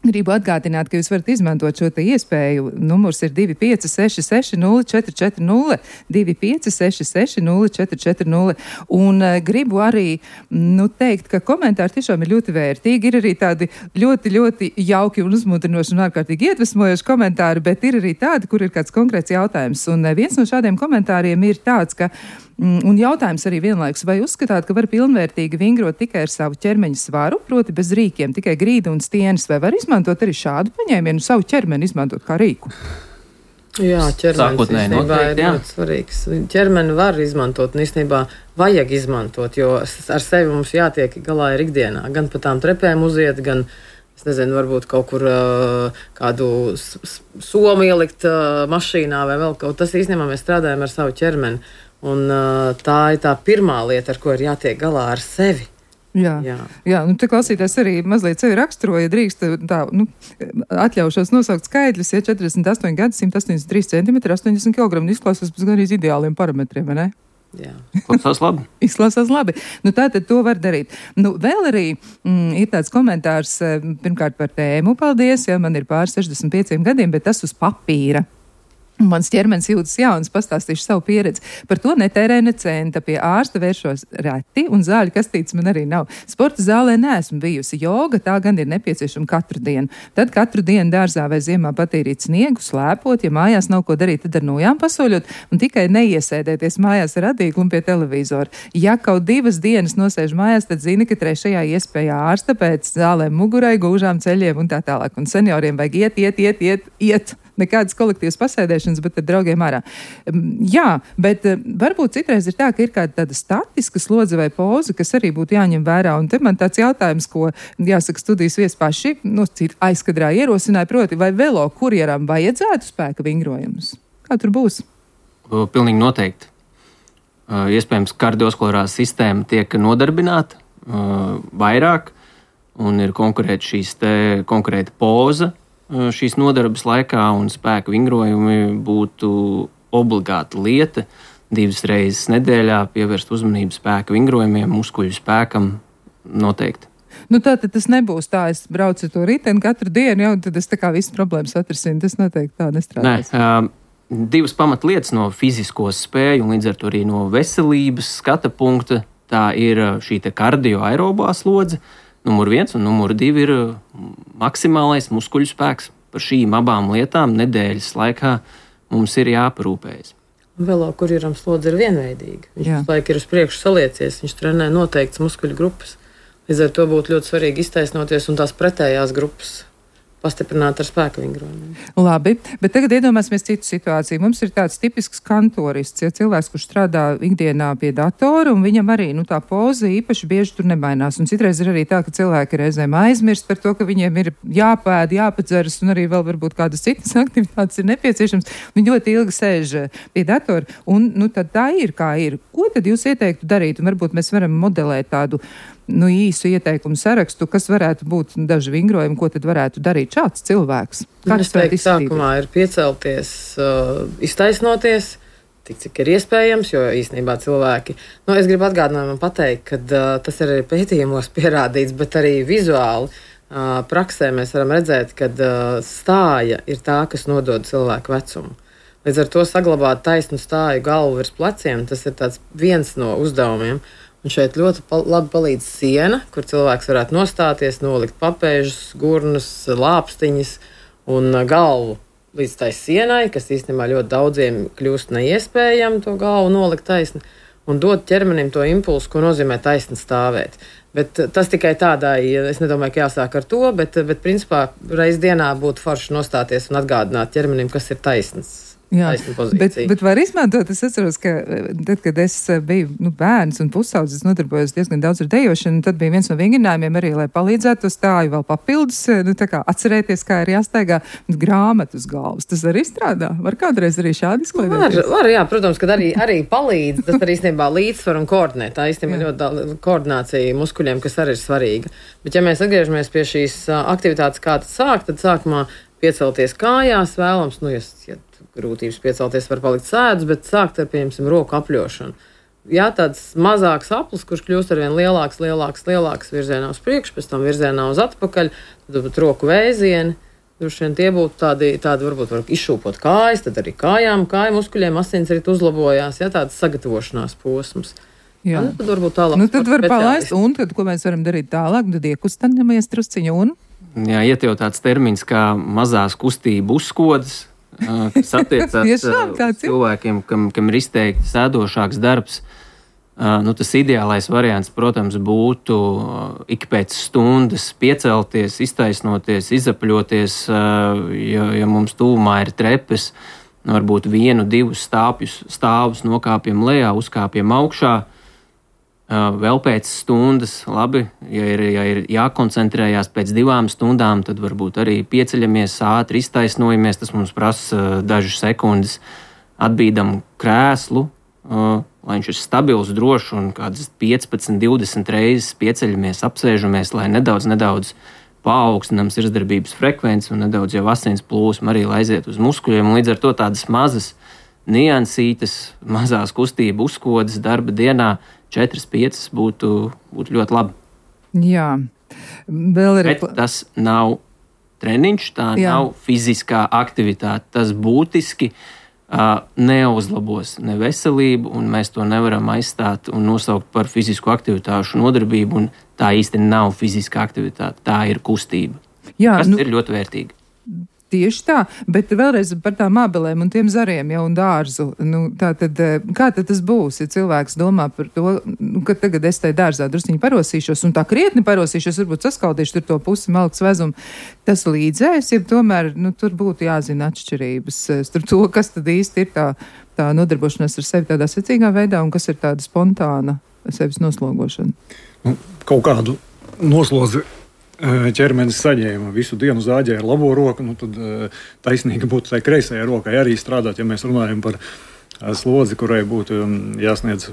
Gribu atgādināt, ka jūs varat izmantot šo te iespēju. Numurs ir 25660440, 25660440. Un gribu arī teikt, ka komentāri tiešām ir ļoti vērtīgi. Ir arī tādi ļoti, ļoti jauki un uzmudrinoši un ārkārtīgi iedvesmojoši komentāri, bet ir arī tādi, kur ir kāds konkrēts jautājums. Un viens no šādiem komentāriem ir tāds, ka un jautājums arī vienlaikus, vai uzskatāt, ka var pilnvērtīgi vingrot tikai ar savu ķermeņa svaru, proti bez rīkiem, tikai grīdu un stienes, vai var izmantot arī šādu paņēmienu, savu ķermeni izmantot kā rīku? Jā, ķermenis sākotnēji īstenībā noteikti, ir ļoti svarīgs. Ķermeni var izmantot, un īstenībā vajag izmantot, jo ar sevi mums jātiek galā ir ikdienā. Gan pa tām trepēm uziet, gan, es nezinu, varbūt kaut kur kādu somu ielikt mašīnā vai vēl kaut. Tas īstenībā mēs strādājam ar savu ķermeni, un tā ir tā pirmā lieta, ar ko ir jātiek galā ar sevi. Jā, nu te klausītājs arī mazliet sevi raksturoja, drīkst tā, atļaušos nosaukt skaitļus, 48 gadi, 183 cm, 80 kg, izklausās pēc gan arī ideāliem parametriem, vai ne? Jā. Izklausās labi. Izklausās labi. Nu, tātad to var darīt. Nu, vēl arī ir tāds komentārs, pirmkārt par tēmu, paldies, ja man ir pār 65 gadiem, bet tas uz papīra. Mans ķermenis jūtas jauns, pastāstīšu savu pieredzi. Par to netērēju ne centa, pie ārsta vēršos reti, un zāļu kastītes man arī nav. Sporta zālē neesmu bijusi, joga tā gan ir nepieciešama katru dienu. Tad katru dienu dārzā vai ziemā patīrīt sniegu, slēpot, ja mājās nav ko darīt, tad ar nojām pasoļot, un tikai neiesēdēties mājās ar adīklu un pie televizora. Ja kaut 2 dienas nosēž mājās, tad zini, ka 3. iespējā ārsta pēc zālēm mugurai, gūžām, ceļiem un tā tālāk. Un senioriem vajag iet. Nekādas kolektīvas pasēdēšanas, bet ar draugiem ārā. Jā, bet varbūt citreiz ir tā, ka ir kāda tāda statiska slodze vai poza, kas arī būtu jāņem vērā. Un te man tāds jautājums, ko, jāsaka, studijas viesi paši, aizkadrā ierosināja, proti, vai velo kurjeram vajadzētu spēka vingrojumus? Kā tur būs? Pilnīgi noteikti. Iespējams, kardiovaskulārā sistēma tiek nodarbināta vairāk, un ir konkrēta poza šīs nodarbes laikā, un spēka vingrojumi būtu obligāta lieta 2 reizes nedēļā pievērst uzmanību spēka vingrojumiem, muskuļu spēkam noteikti. Nu tātad tas nebūs tā, es braucu to riteni katru dienu, jau tad es tā kā visas problēmas atrisinu, tas noteikti tā nestrādās. Nē, 2 pamatlietas no fizisko spēju un līdz ar to arī no veselības skata punkta, tā ir šī te kardioaerobā slodze, numur 1 un numur 2 ir maksimālais muskuļu spēks. Par šīm abām lietām nedēļas laikā mums ir jāparūpējas. Velo kurjeram slodze ir vienveidīga. Viņš laik ir uz priekšu saliecies, viņš trenē noteikts muskuļu grupas. Līdz ar to būtu ļoti svarīgi iztaisnoties un tās pretējās grupas pastiprināt ar spēka vingrojumiem. Labi, bet tagad iedomāsimies citu situāciju. Mums ir tāds tipisks kantorists, ja cilvēks, kurš strādā ikdienā pie datora, un viņam arī tā poza īpaši bieži tur nemainās. Un citreiz ir arī tā, ka cilvēki reizēm aizmirst par to, ka viņiem ir jāpēd, jāpadzeras, un arī vēl varbūt kādas citas aktivitātes ir nepieciešams. Viņi ļoti ilgi sēž pie datora, un tad tā ir, kā ir. Ko tad jūs ieteiktu darīt? Un varbūt mēs varam modelēt tādu īsu ieteikumu sarakstu, kas varētu būt daži vingrojumi, ko tad varētu darīt šāds cilvēks? Es teiktu, sākumā ir piecelties, iztaisnoties, cik ir iespējams, jo īstenībā cilvēki, es gribu atgādinājumam pateikt, ka tas ir arī pētījumos pierādīts, bet arī vizuāli praksē mēs varam redzēt, ka stāja ir tā, kas nodod cilvēku vecumu. Līdz ar to saglabāt taisnu stāju galvu virs pleciem, tas ir tāds viens no uzdevumiem. Un šeit ļoti labi palīdz siena, kur cilvēks varētu nostāties, nolikt papēžus, gurnus, lāpstiņas un galvu līdz tai sienai, kas īstenībā ļoti daudziem kļūst neiespējami to galvu nolikt taisni un dot ķermenim to impulsu, ko nozīmē taisni stāvēt. Bet tas tikai tādai, es nedomāju, ka jāsāk ar to, bet principā reiz dienā būtu forši nostāties un atgādināt ķermenim, kas ir taisns. Jā, bet var izmantot, es atceros, ka tad, kad es biju bērns un pusaudzis, nodarbojos diezgan daudz ar dejošanu, tad bija viens no vingrinājumiem arī, lai palīdzētu to stāju vēl papildus, atcerēties, kā ir jāstaigā grāmatu uz galvas. Tas arī strādā? Var kādreiz arī šādi izklaidēties? Var, jā, protams, kad arī palīdz, tas arī īstenībā līdzsvar un koordinē. Tā īstenībā ļoti koordinācija muskuļiem, kas arī ir svarīga. Bet ja mēs atgriežamies pie šīs aktivitātes, kā tas sāk, tad sākumā piecelties kājās vēlams, ja grūtības piecelties var palikt sēdus, bet sākt ar, pieņemsim, roku apļošanu. Jā, tāds mazāks aplis, kurš kļūst arvien lielāks virzienā uz priekšu, pēc tam virzienā uz atpakaļ, tad roku vēzieni. Tie būtu tādi varbūt var izšūpot kājas, tad arī kāju muskuļiem asinsrit uzlabojās, jā, tāds sagatavošanās posms. Jā. Tad varbūt tālāk. Tad var palaist, un tad, ko mēs varam darīt tālāk, tad iekustamies trusciņu un? Jā, iet jau tāds termins kā mazās kustību uzskodas, kas attiecās cilvēkiem, kam ir izteikti sēdošāks darbs. Tas ideālais variants, protams, būtu ik pēc stundas piecelties, iztaisnoties, izapļoties, ja mums tūmā ir trepes, varbūt 1-2 stāvus nokāpjam lejā, uzkāpjam augšā. Vēl pēc stundas, labi, ja ir jākoncentrējās pēc 2 stundām, tad varbūt arī pieceļamies, ātri iztaisnojamies. Tas mums prasa dažas sekundes. Atbīdam krēslu, lai viņš ir stabils, drošs un kādas 15-20 reizes pieceļamies, apsēžamies, lai nedaudz paaugstinām sirdsdarbības frekvenci un nedaudz jau asins plūsma arī aiziet uz muskuļiem. Līdz ar to tādas mazas niansītes, mazās kustību uzkodas darba dienā 4-5 būtu ļoti labi. Jā. Vēl ir... Bet tas nav treniņš, tā nav fiziskā aktivitāte. Tas būtiski neuzlabos ne veselību, un mēs to nevaram aizstāt un nosaukt par fizisku aktivitāšu nodarbību, un tā īsti nav fiziska aktivitāte, tā ir kustība. Jā, kas ir ļoti vērtīgi. Tieši tā, bet vēlreiz par tām ābelēm un tiem zariem jau un dārzu. Tātad, kā tad tas būs, ja cilvēks domā par to, ka tagad es tai dārzā drusciņi parosīšos un tā krietni parosīšos, varbūt saskaldīšu tur to pusi malkas vezumu. Tas līdzēs, ja tomēr tur būtu jāzina atšķirības starp to, kas tad īsti ir tā nodarbošanās ar sevi tādā secīgā veidā un kas ir tāda spontāna sevis noslogošana. Kaut kādu noslodzi ķermenis saņēma, visu dienu zāģēja ar labo roku, tad taisnīgi būtu tai kreisajai rokai arī strādāt, ja mēs runājam par slodzi, kurai būtu jāsasniedz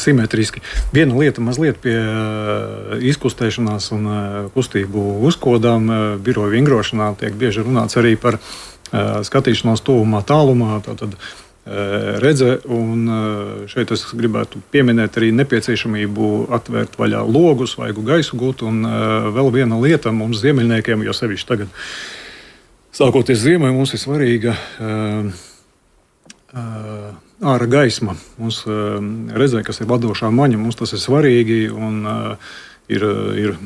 simetriski. Viena lieta mazliet pie izkustēšanās un kustību uzkodām, biroja vingrošanā tiek bieži runāts arī par skatīšanos tuvumā, tālumā, tātad redze, un šeit es gribētu pieminēt arī nepieciešamību atvērt vaļā logus, vaigu gaisu gūt, un vēl viena lieta mums ziemeļniekiem, jo sevišķi tagad sākoties ziemai, mums ir svarīga ārā gaisma. Mums redzē, kas ir vadošā maņa, mums tas ir svarīgi, un ir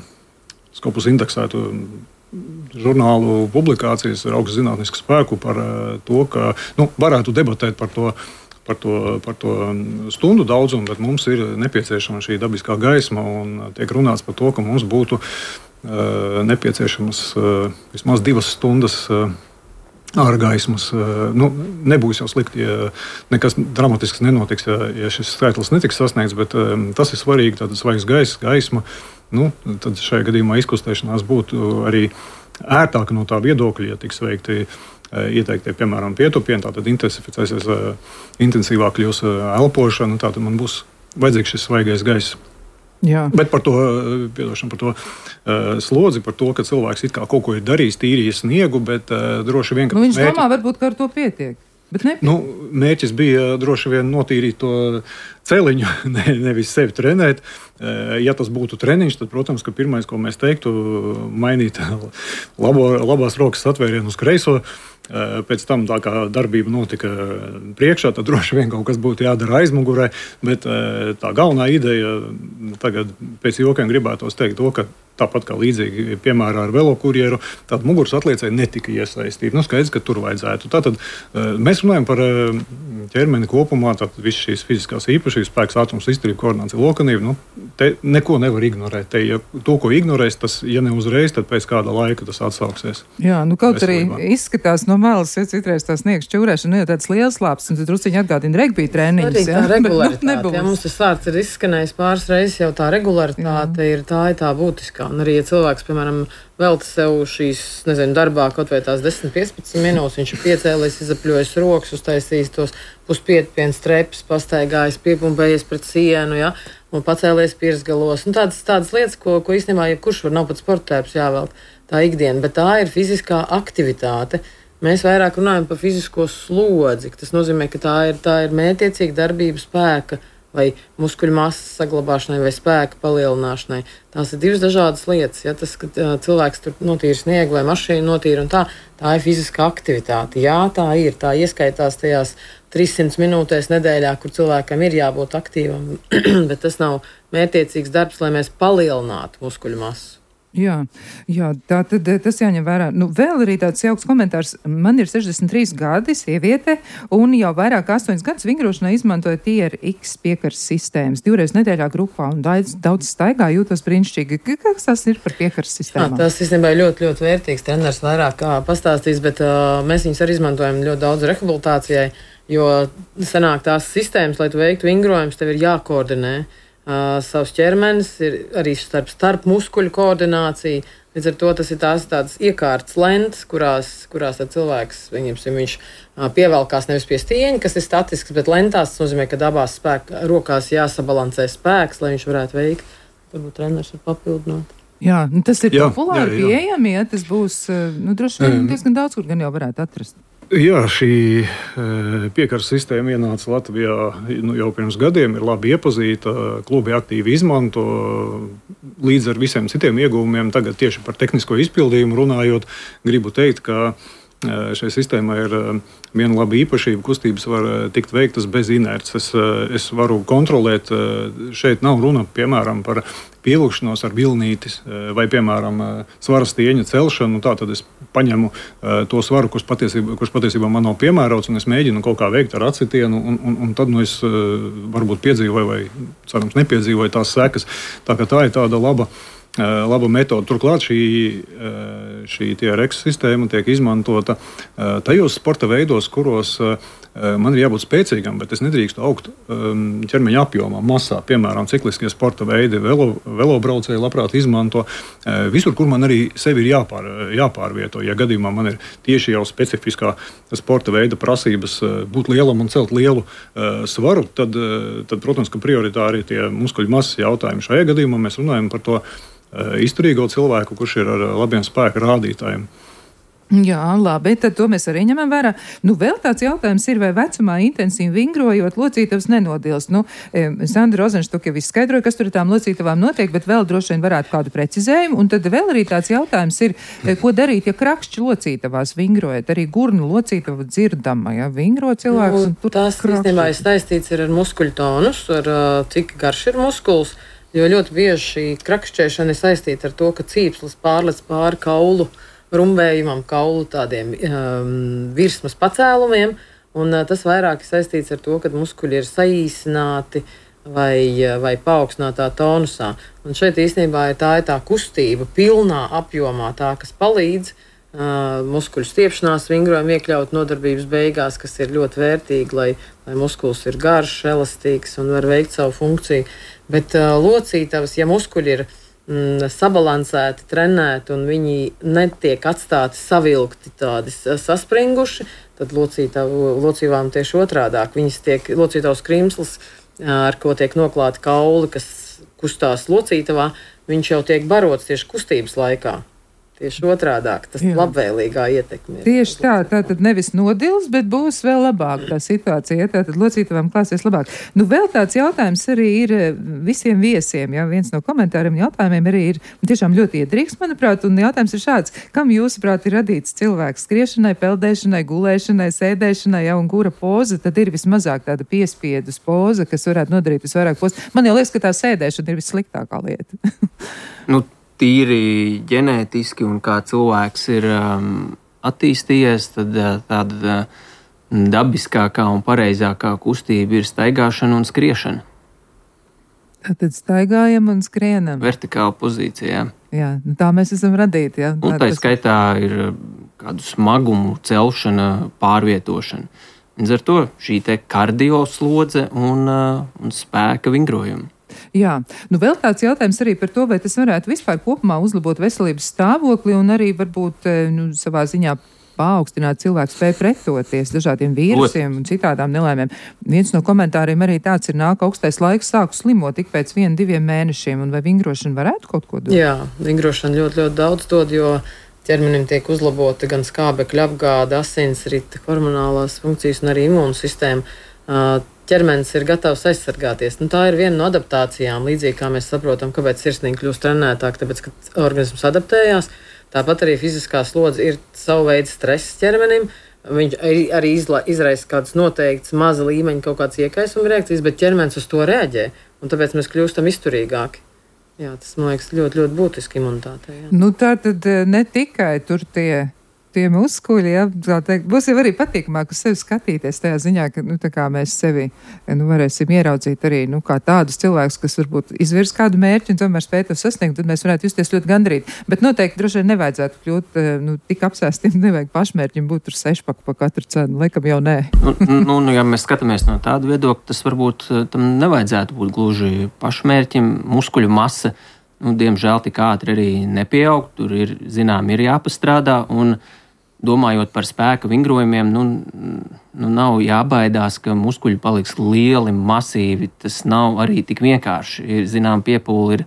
Scopus indeksētu žurnālu publikācijas ar augstu zinātnisku spēku par to, ka varētu debatēt par to stundu daudzumu, bet mums ir nepieciešama šī dabiskā gaisma, un tiek runāts par to, ka mums būtu nepieciešamas vismaz 2 stundas ārgaismas. Nebūs jau slikti, ja nekas dramatisks nenotiks, ja šis skaitlis netiks sasniegts, bet tas ir svarīgi, tātad svaigs gaisma. Tad šajā gadījumā izkustēšanās būtu arī ērtāka no tā viedokļa, ja tiks veikti ieteiktie, piemēram, pietupieni, tātad intensificēsies, intensīvāk kļūs elpošana, tātad man būs vajadzīgs šis svaigais gaiss. Jā. Bet par to slodzi, par to, ka cilvēks it kā kaut ko ir darījis, tīrījis sniegu, bet droši vien, ka viņš domā, varbūt, ka ar to pietiek. Mērķis bija droši vien notīrīt to celiņu, nevis sevi trenēt. Ja tas būtu treniņš, tad, protams, ka pirmais, ko mēs teiktu, mainīt labās rokas atvērienu uz kreiso. Pēc tam tā kā darbība notika priekšā, tad droši vien kaut kas būtu jādara aizmugurē, bet tā galvenā ideja tagad pēc jokiem gribētos teikt to, ka tāpat kā līdzīgi piemērā ar velokurjeru, tāda muguras atliecēja netika iesaistīta. Skaidrs, ka tur vajadzētu. Tātad mēs runājam par ķermeni kopumā, tātad visas šīs fiziskās īpašības, spēks, ātrums, izturība, koordinācija, lokanība. Te neko nevar ignorēt. Te, ja to, ko ignorēs, tas, ja ne uzreiz, tad pēc kāda laika tas atsauksies. Jā, kaut arī izskatās no malas, ja citreiz tā sniegs čūrēšana, tāds liels lāps, un tad drusciņi atgādina regbija treniņus. Arī tā regularitāte. Ja mums tas vārds ir izskanējis pāris reizes, jau tā regularitāte ir tā būtiskā. Un arī, ja cilvēks, piemēram, velta sev šīs, darbā kaut vai tās 10-15 minūtes, viņš ir piecēlies, izapļojis rokas, uztaisījis tos puspietpienu strepes, pastaigājis, piepumpējies pret sienu, ja, un pacēlies pirsgalos. Un tādas lietas, ko īstenībā jebkurš var, nav pat sporttērps jāvelt tā ikdiena, bet tā ir fiziskā aktivitāte. Mēs vairāk runājam par fizisko slodzi. Tas nozīmē, ka tā ir mērķiecīga darbība spēka vai muskuļu masas saglabāšanai vai spēka palielināšanai. Tās ir divas dažādas lietas. Ja tas, ka cilvēks tur notīra sniegu vai mašīnu notīra, un tā ir fiziska aktivitāte. Jā, tā ir. Tā ieskaitās tajās 300 minūtēs nedēļā, kur cilvēkam ir jābūt aktīvam, bet tas nav mērķiecīgs darbs, lai mēs palielinātu muskuļu masu. Jā, tad tas jāņem vērā. Vēl arī tāds jauks komentārs. Man ir 63 gadi, sieviete, un jau vairāk 8 gadus vingrošanai izmantoja TRX piekaras sistēmas. 2 reizes nedēļā grupā, un daudz staigā, jūtos brīnišķīgi. Kas tas ir par piekaras sistēmām? Tas īstenībā ļoti, ļoti vērtīgs. Treneris vairāk pastāstīs, bet mēs viņus arī izmantojam ļoti daudz rehabilitācijai, jo sanāk tās sistēmas, lai tu veiktu vingrojumus, tev ir jākoordinē. Savs ķermenis ir arī starp muskuļu koordinācija. Līdz ar to tas ir tādas iekārtas lentes, kurās cilvēks, viņš pievelkās nevis pie stieņa, kas ir statisks, bet lentās. Tas nozīmē, ka abās rokās jāsabalansē spēks, lai viņš varētu veikt. Varbūt treneris var papildināt. Jā, tas ir populāri pieejami, ja tas būs, droši vien diezgan daudz, kur gan jau varētu atrast. Jā, šī piekaras sistēma ienāca Latvijā jau pirms gadiem, ir labi iepazīta, klubi aktīvi izmanto, līdz ar visiem citiem ieguvumiem. Tagad tieši par tehnisko izpildījumu runājot, gribu teikt, ka šai sistēmai ir viena laba īpašība. Kustības var tikt veiktas bez inerces. Es varu kontrolēt, šeit nav runa, piemēram, par pielūkšanos ar vilnītis vai, piemēram, svara stieņa celšanu. Tātad es paņemu to svaru, kurš patiesībā man nav piemērots, un es mēģinu kaut kā veikt ar acitienu, un tad es varbūt piedzīvoju vai, cerams, nepiedzīvoju tās sekas. Tā ir tāda laba metode. Turklāt šī TRX sistēma tiek izmantota tajos sporta veidos, kuros man ir jābūt spēcīgam, bet es nedrīkstu augt ķermeņa apjomā, masā. Piemēram, cikliskie sporta veidi, velobraucēji labprāt izmanto. Visur, kur man arī sevi ir jāpārvieto. Ja gadījumā man ir tieši jau specifiskā sporta veida prasības būt lielam un celt lielu svaru, tad protams, ka prioritāri ir tie muskuļu masas jautājumi. Šajā gadījumā mēs runājam par to izturīgo cilvēku, kurš ir ar labiem spēka rādītājiem. Jā, labi, tad to mēs arī ņemam vērā. Vēl tāds jautājums ir, vai vecumā intensīvi vingrojot locītavas nenodilst. Sandra Rozenštuk jau izskaidroja, kas tur tām locītavām notiek, bet vēl droši vien varētu kādu precizējumu. Un tad vēl arī tāds jautājums ir, ko darīt, ja krakšķi locītavās vingrojat, arī gurnu locītava dzirdama, ja vingro cilvēks. Tas īstenībā ir saistīts ar muskuļu tonus, ar cik garš ir muskuls, jo ļoti bieži šī krakšķēšana ir saistīta ar to, ka cīpslis pārlec pāri kaulu rumbējumam, kaulu tādiem virsmas pacēlumiem, un tas vairāk ir saistīts ar to, ka muskuļi ir saīsināti vai paaugstinātā tonusā. Un šeit īstenībā ir tā kustība pilnā apjomā, tā, kas palīdz muskuļu stiepšanās vingrojumu iekļaut nodarbības beigās, kas ir ļoti vērtīgi, lai muskulis ir garš, elastīgs un var veikt savu funkciju. Bet locītavas, ja muskuļi ir sabalansēti, trenēti un viņi netiek atstāti savilkti tādi saspringuši, tad locītavām tieši otrādāk. Locītavas krimsls, ar ko tiek noklāti kauli, kas kustās locītavā, viņš jau tiek barots tieši kustības laikā. Tieši otrādāk, tas labvēlīgā ietekme. Tieši tā, tātad nevis nodils, bet būs vēl labāk tā situācija, tātad locītavām klāsies labāk. Vēl tāds jautājums arī ir visiem viesiem, ja viens no komentāriem jautājumiem arī ir tiešām ļoti iedrīgs, manuprāt, un jautājums ir šāds, kam jūsuprāt ir radīts cilvēks skriešanai, peldēšanai, gulēšanai, sēdēšanai, un kura poza tad ir vismazāk tāda piespiedus poza, kas varētu nodarīt visvairāk poza? Man jau liekas, ka tā sēdēšana ir vissliktākā lieta. Tīri ģenētiski un kā cilvēks ir attīstījies, tad tāda dabiskākā un pareizākā kustība ir staigāšana un skriešana. Tad staigājam un skrienam. Vertikāla pozīcijā. Jā, tā mēs esam radīti. Jā. Un tā skaitā ir kādu smagumu celšana, pārvietošana. Līdz ar to šī te kardioslodze un spēka vingrojumi. Jā, vēl tāds jautājums arī par to, vai tas varētu vispār kopumā uzlabot veselības stāvokli un arī varbūt savā ziņā paaugstināt cilvēku spēju pretoties dažādiem vīrusiem un citādām nelaimēm. Viens no komentāriem arī tāds ir, nāk augstais laiks, sāku slimot tik pēc 1-2 mēnešiem, un vai vingrošana varētu kaut ko dot? Jā, vingrošana ļoti, ļoti daudz dod, jo ķermenim tiek uzlabota gan skābekļa apgāde, asinsrite, hormonālās funkcijas un arī imūnsistēma. Ķermenis ir gatavs aizsargāties. Tā ir viena no adaptācijām, līdzīgi kā mēs saprotam, kāpēc sirsniņa kļūst trenētāk, tāpēc, ka organisms adaptējās. Tāpat arī fiziskā slodze ir savu veidu stress ķermenim. Viņš arī izraisa kādas noteiktas maza līmeņa kaut kādas iekaisuma reakcijas, bet ķermenis uz to reaģē, un tāpēc mēs kļūstam izturīgāki. Jā, tas, man liekas, ļoti, ļoti būtiski imunitātei. Jā. Nu, tā tad ne tikai tur tie muskuļi, ja, tā teikt, būs jau arī patīkamāk uz sevi skatīties tajā ziņā, ka, nu, tā kā mēs sevi, nu, varēsim ieraudzīt arī, nu, kā tādus cilvēkus, kas varbūt izvirs kādu mērķi un tomēr spēj to sasniegt, tad mēs varētu justies ļoti gandrīt. Bet noteikti droši vien nevajadzētu kļūt, nu, tik apsēstiem, nevajag pašmērķim būt tur 6-paku pa katru cenu, laikam jau nē. Nu, ja mēs skatāmies no tāda viedokļa, tas varbūt tam nevajadzētu būt gluži pašmērķim, muskuļu masa, nu, diemžēl tik ātri arī nepieaug, tur ir jāpastrādā, un domājot par spēka vingrojumiem, nu nav jābaidās, ka muskuļi paliks lieli, masīvi. Tas nav arī tik vienkārši. Zinām, piepūli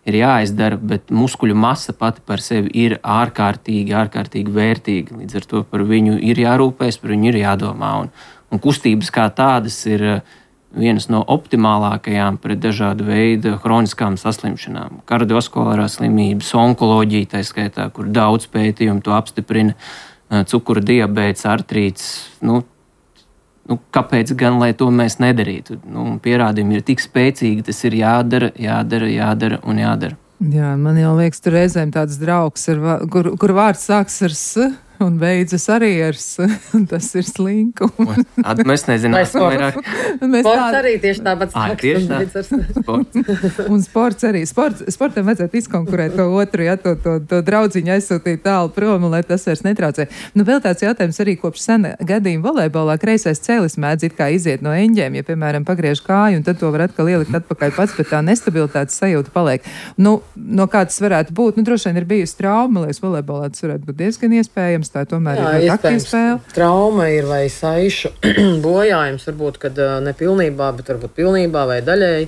ir jāizdara, bet muskuļu masa pati par sevi ir ārkārtīgi vērtīga. Līdz ar to par viņu ir jārūpēs, par viņu ir jādomā. Un kustības kā tādas ir vienas no optimālākajām pret dažādu veidu hroniskām saslimšanām. Kardiovaskulārās slimības, onkoloģija, tā skaitā, kur daudz pētījumu to apstiprina, cukura diabēts, artrīts. Nu, kāpēc gan, lai to mēs nedarītu? Pierādījumi ir tik spēcīgi, tas ir jādara. Jā, man jau liekas, tur reizēm tāds draugs, kur vārds sāks ar S un beidzas arī ar S, un tas ir slinku. Mēs nezinām, vairāk. Sports arī tieši tāpat sāks. Tieši tā. Un sports arī. Sportam vajadzētu izkonkurēt to otru, ja, to draudziņu aizsūtīt tālu prom, un lai tas vairs netraucē. Nu, vēl tāds jautājums arī kopš sena gadījuma volejbolā kreisais cēlis mēdz it kā iziet no eņģēm, ja, piemēram, pagriež kāju, un tad to var atkal ielikt atpakaļ pats, bet tā nestabilitātes sajūta paliek. Nu, no kā tas varētu būt? Nu, droši vien ir bijusi trauma, liekas, volejbolā tas varētu būt diezgan iespējams. Tā tomēr ir aktīva spēle. Trauma ir vai saišu bojājums, varbūt, kad nepilnībā, bet varbūt pilnībā vai daļēji.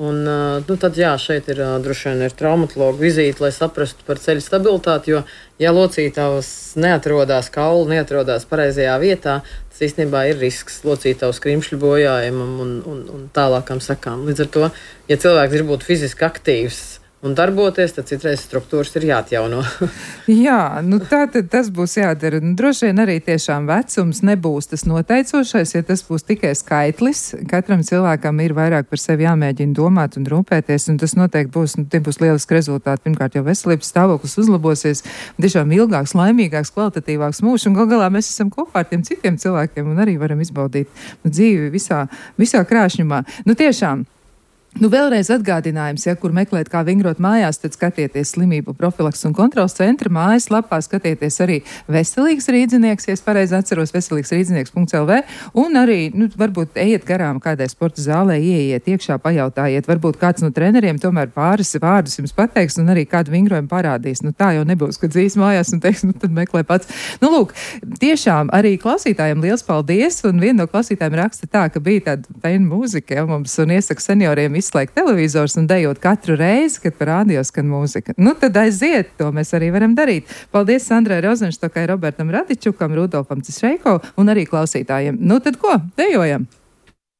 Un, nu, tad, jā, šeit ir droši vien ir traumatologa vizīte, lai saprastu par ceļu stabilitāti, jo, ja locītavas neatrodās kaulu, neatrodās pareizajā vietā, tas īstenībā ir risks locītavas krimšļu bojājumam un tālākam sekām. Līdz ar to, ja cilvēks grib būt fiziski aktīvs un darboties, tad citreiz struktūras ir jāatjauno. Jā, nu tātad tas būs jādara. Nu, droši vien arī tiešām vecums nebūs tas noteicošais, ja tas būs tikai skaitlis. Katram cilvēkam ir vairāk par sevi jāmēģina domāt un rūpēties, un tas noteikti būs, tie būs lieliski rezultāti. Pirmkārt, jau veselības stāvoklis uzlabosies, tiešām ilgāks, laimīgāks, kvalitatīvāks mūžs, un gal galā mēs esam kopā ar tiem citiem cilvēkiem un arī varam izbaudīt dzīvi visā krāšņumā. Nu tiešām. Nu, vēlreiz atgādinājums, ja kur meklēt, kā vingrot mājās, tad skatieties slimību profilaks un kontrols centra mājaslapā, skatieties arī veselīgs rīdzinieks, ja es pareizi atceros, veselīgsrīdzinieks.lv, un arī, nu, varbūt ejiet garām kādai sporta zālē, ieiet iekšā, pajautājiet, varbūt kāds no treneriem tomēr pāris vārdus jums pateiks un arī kādu vingrojumu parādīs. Nu, tā jau nebūs, kad dzīs mājās un teiks, nu, tad meklē pats. Nu, lūk, tiešām arī klausītājiem liels paldies, un viena no klausītājiem raksta tā, ka bija tāda feina mūzika, ja, mums, un iesaka senioriem izslēgt televizors un dejot katru reizi, kad par rādio skan mūzika. Nu, tad aiziet, to mēs arī varam darīt. Paldies Sandrai Rozenštokai, Robertam Radičukam, Rudolfam Cišreiko un arī klausītājiem. Nu, tad ko? Dejojam!